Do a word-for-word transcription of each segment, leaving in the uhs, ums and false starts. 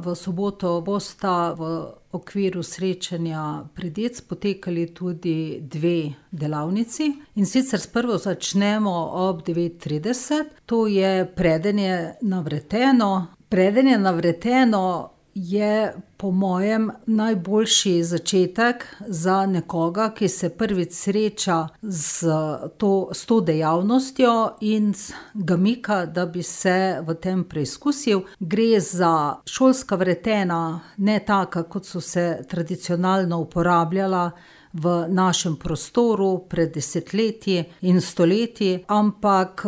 v soboto bosta v okviru srečanja Predic potekali tudi dve delavnici. In sicer sprva začnemo ob devet trideset, to je Predenje na vreteno. Predenje na vreteno je po mojem najboljši začetek za nekoga, ki se prvič sreča z to, s to dejavnostjo in ga mika, da bi se v tem preizkusil. Gre za šolska vretena, ne taka, kot so se tradicionalno uporabljala v našem prostoru pred desetletji in stoletji, ampak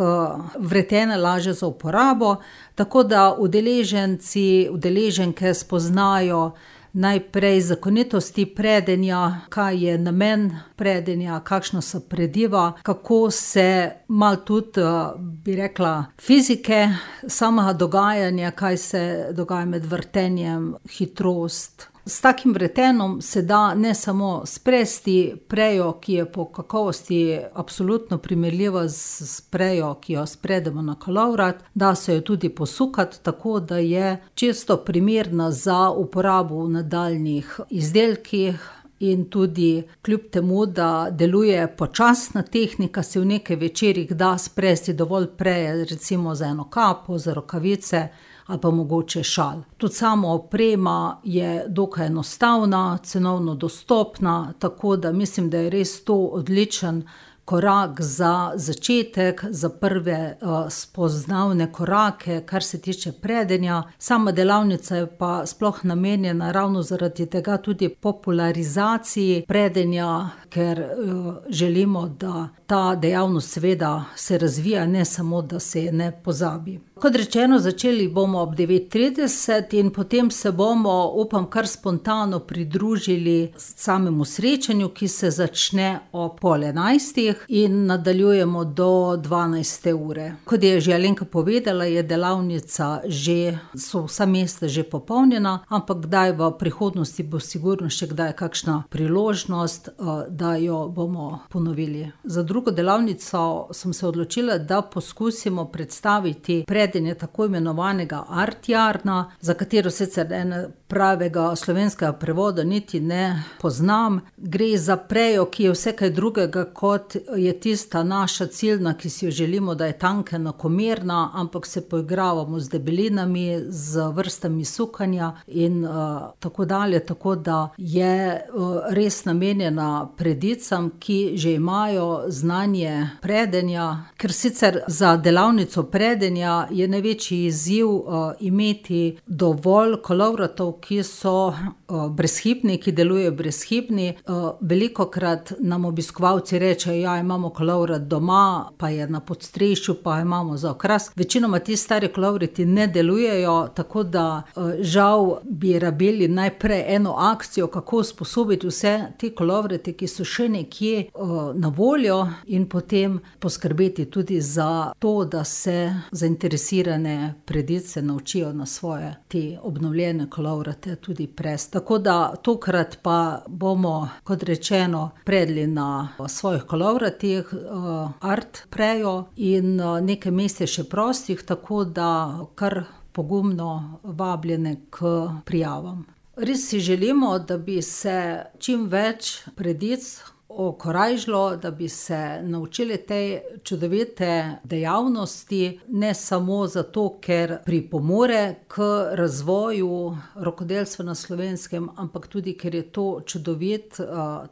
vretena lažja za uporabo, tako da udeleženci, udeleženke spoznajo najprej zakonitosti predenja, kaj je namen predenja, kakšna so prediva, kako se malo tudi, bi rekla, fizike samega dogajanja, kaj se dogaja med vrtenjem, hitrost. S takim vretenom se da ne samo spresti prejo, ki je po kakovosti absolutno primerljiva s prejo, ki jo spredemo na kolovrat, da se jo tudi posukati, tako da je čisto primerna za uporabo v nadaljnjih izdelkih. In tudi kljub temu, da deluje počasna tehnika, se v nekaj večerih da spresti dovolj preje, recimo za eno kapo, za rokavice ali pa mogoče šal. Tudi sama oprema je dokaj enostavna, cenovno dostopna, tako da mislim, da je res to odličen korak za začetek, za prve uh, spoznavne korake, kar se tiče predenja. Sama delavnica je pa sploh namenjena ravno zaradi tega tudi popularizaciji predenja, ker uh, želimo, da ta dejavnost seveda se razvija, ne samo, da se je ne pozabi. Kot rečeno, začeli bomo ob devet trideset in potem se bomo, upam, kar spontano pridružili samemu srečanju, ki se začne ob pol enajstih in nadaljujemo do dvanajste ure. Kot je že Alenka povedala, je delavnica že, so vsa mesta že popolnjena, ampak kdaj v prihodnosti bo sigurno še kdaj kakšna priložnost, da jo bomo ponovili. Za drugo delavnico sem se odločila, da poskusimo predstaviti predenje tako imenovanega art yarna, za katero sicer ene pravega slovenskega prevoda niti ne poznam. Gre za prejo, ki je vse kaj drugega, kot je tista naša ciljna, ki si jo želimo, da je tanka, enakomerna, ampak se poigravamo z debelinami, z vrstami sukanja in uh, tako dalje, tako da je uh, res namenjena predicam, ki že imajo znanje predenja, ker sicer za delavnico predenja je največji izziv uh, imeti dovolj kolovratov, ki so uh, brezhibni, ki delujejo brezhibni. Uh, velikokrat nam obiskovalci rečejo, ja, imamo kolovrat doma, pa je na podstrešju, pa imamo za okras. Večinoma ti stari kolovrati ne delujejo, tako da uh, žal bi rabili najprej eno akcijo, kako usposobiti vse te kolovrate, ki so še nekje uh, na voljo, in potem poskrbeti tudi za to, da se zainteresirane predice naučijo na svoje te obnovljene kolovrate tudi presti. Tako da tokrat pa bomo, kot rečeno, predli na svojih kolovratih uh, art prejo in uh, nekaj mest je še prostih, tako da kar pogumno vabljene k prijavam. Res si želimo, da bi se čim več predic okorajžilo, da bi se naučili te čudovite dejavnosti, ne samo zato, ker pripomore k razvoju rokodelstva na Slovenskem, ampak tudi, ker je to čudovit,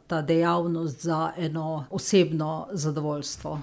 ta dejavnost za eno osebno zadovoljstvo.